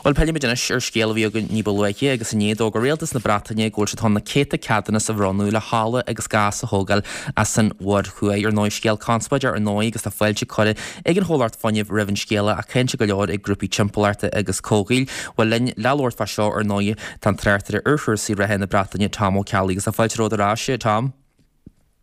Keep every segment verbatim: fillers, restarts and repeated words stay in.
Bhuel pillfimid anois ar scéal a bhí againn ní ba luaithe agus inné d'fhógair rialtas na Breataine go bhfuil siad chun na céadta ceadúnas a bhronnadh le hola agus gás a thógáil as an Mhuir Thuaidh. Ar ndóigh scéal conspóideach ar ndóigh agus tá fáilte curtha ag an chomhlacht fuinnimh roimh an scéala ach cáinte go leor ag grúpaí timpeallachta agus comhshaoil. Bhuel linn le labhairt fá seo ar ndóigh tá an tráchtaire ar chúrsaí reatha na Breataine Tom Ó Ceallaigh agus tá fáilte romhat ar ais Tom.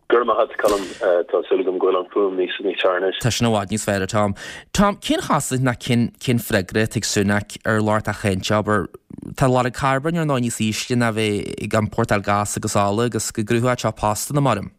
Gur maith Colm tá súil agam go bhfuil an fuaim níos níos fearr anois. Tá sin i bhfad níos fearr Tom. Tom cén chosúlacht ná cén cén freagra ag Sunak ar lucht a cháinte abair Tá lorg carbóin ar ndóigh níos ísle ná bheith ag iompórtáil gás agus ola agus go gcruthódh sé postanna maram.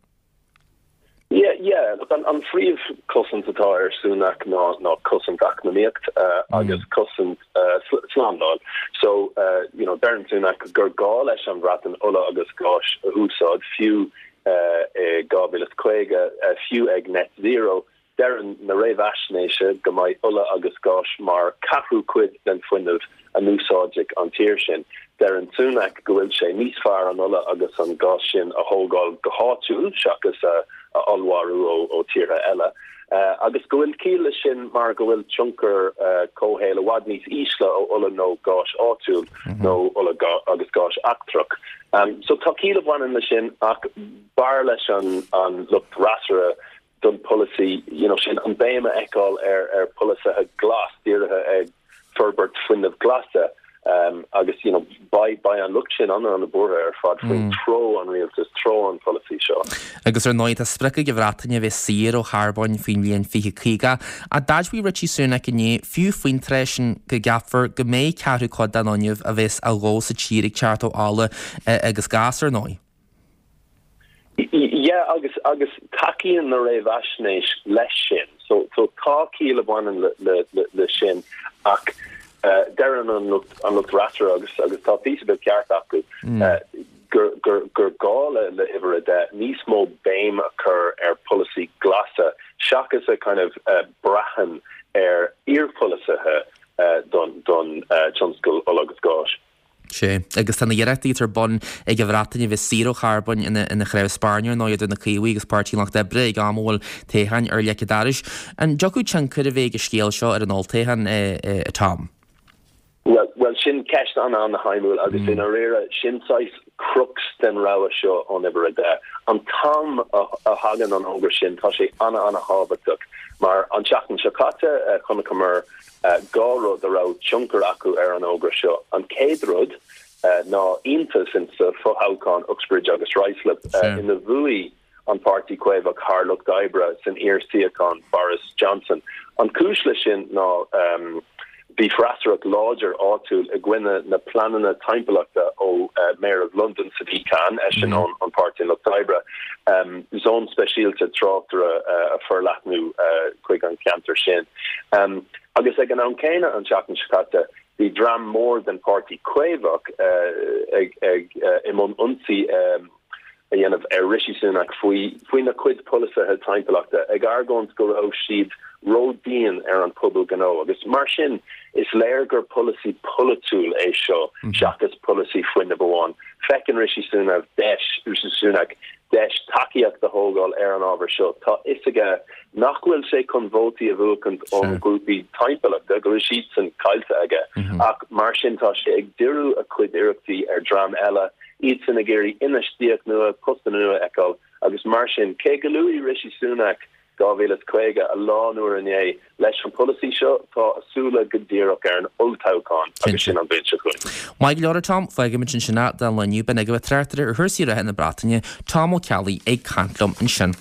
Yeah, yeah. An, an phríomh cosaint atá ar Sunak ná ná cosaint eacnamaíocht uh, mm. agus cosaint uh, slándáil. So uh, you know, deireann Sunak gur gá leis an Bhreatain ola agus gás a úsáid fiú uh, dhá mhíle is caoga uh, fiú ag net zero deireann na réamhaisnéisí go mbeidh ola agus gás mar ceathrú cuid den fuinneamh a úsáidfidh an tír sin. Deireann Sunak go bhfuil sé níos fearr an ola agus an gás sin a thógáil go háitiúil seachas a, a allmhairiú ó, ó tíortha eile. Uh, agus go bhfuil ciall leis sin mar go bhfuil tionchar uh, comhshaoil i bhfad níos ísle ó ola nó gás áitiúil mm -hmm. nó ola agus gás eachtrach. Um, so tá ciall a bhaineann leis sin ach b'fhearr leis an an lucht freasúra don polasaí you know, sin an béim a fheiceáil ar ar polasaithe glas dírithe ag forbairt fuinneamh glasa um, agus you know, beidh beidh an lucht sin an an-bhuartha ar fad faoin mm. treo an rialtas treo an polasaí seo. Agus ar ndóigh tá sprioc ag an Bhreatain a bheith saor ó charbón faoin bhliain fiche caoga a d'admhaigh Rishi Sunak inné fiú faoin tráth sin go gceapfar go mbeidh ceathrú cuid den fhuinneamh a bheas á dhó sa tír ag teacht ó ola agus gás ar ndóigh. Yeah, agus agus tacaíonn na réamhaisnéis leis sin so so tá ciall a bhaineann le, le, le, le sin ach uh, deireann an lucht an lucht freasúra agus agus tá píosa beag ceart acu mm. uh, gur gur gur gá le le uimhir a deich níos mó béim a chur ar polasaí glasa seachas a kind of uh, braitheann ar iarpholasaithe uh, don don uh, tionscal ola agus gáis. Sé agus tá na hiarrachtaí ar bun ag an Bhreatain a bheith saor ó charbón ina ina chraobh spairne nó idir na Caomhaigh agus Páirtí an Lucht Oibre ag am a bhfuil toghcháin ar leic an dorais. An dtiocfadh tionchar a bheith ag an scéal seo ar an olltoghchán uh, Tom. Well, well sin ceist an an-shuimiúil agus mm. in réir sin saghas crux den rogha seo an uimhir a deich. An t-am a, a thagann an fhógra sin tá sé ana an-thábhachtach mar an tseachtain seo caite uh, chonaiceamar uh, dhá rud a raibh tionchar acu ar an fhógra seo. An chéad rud uh, ná iontas in sa fothoghchán Uxbridge agus Ruislip uh, ina bhuaigh an Páirtí Caomhach thar Lucht Oibre san iar-suíochán Boris Johnson. An chúis leis sin ná um, bhí freasúracht láidir áitiúil i gcoinne na pleananna timpeallachta ó uh, Mayor of London Sadiq Khan eisean mm. an Páirtí an Lucht Oibre um, zón speisialta tráchtála uh, a forleathnú uh, chuig an ceantar sin. Um, agus ag an am céanna an tseachtain seo caite bhí dream mór den Páirtí Caomhach uh, ag, ag uh, i mbun ionsaí um, a dhéanamh ar Rishi Sunak faoi faoina chuid polasaithe timpeallachta ag argóint go raibh siad ródhian ar an pobal gnó agus mar sin is léir gur polasaí polaitiúil é seo mm -hmm. seachas polasaí fuinnimh amháin. Feiceann Rishi Sunak deis Rishi Sunak deis tacaíocht a thógáil ar an ábhar seo Tá a fhios aige nach bhfuil sé chun vótaí a bhuachan ón grúpaí timpeallachta go bhfuil siad sin caillte aige mm -hmm. ach mar sin tá sé ag díriú a chuid iarrachtaí ar dream eile iad sin ag iarraidh infheistíocht nua postanna nua a fheiceáil agus mar sin cé gur luaigh Rishi Sunak dhá mhíle is caoga a lán uair inné leis an polasaí seo tá a súile go díreach ar an olltoghchán agus sin an bhliain seo chugainn. Maith go leor Tom fágfaimid ansin é don lá inniu b'in agaibh tráchtaire ar chúrsaí reatha na Breataine Tom Ó Ceallaigh ag caint liom ansin.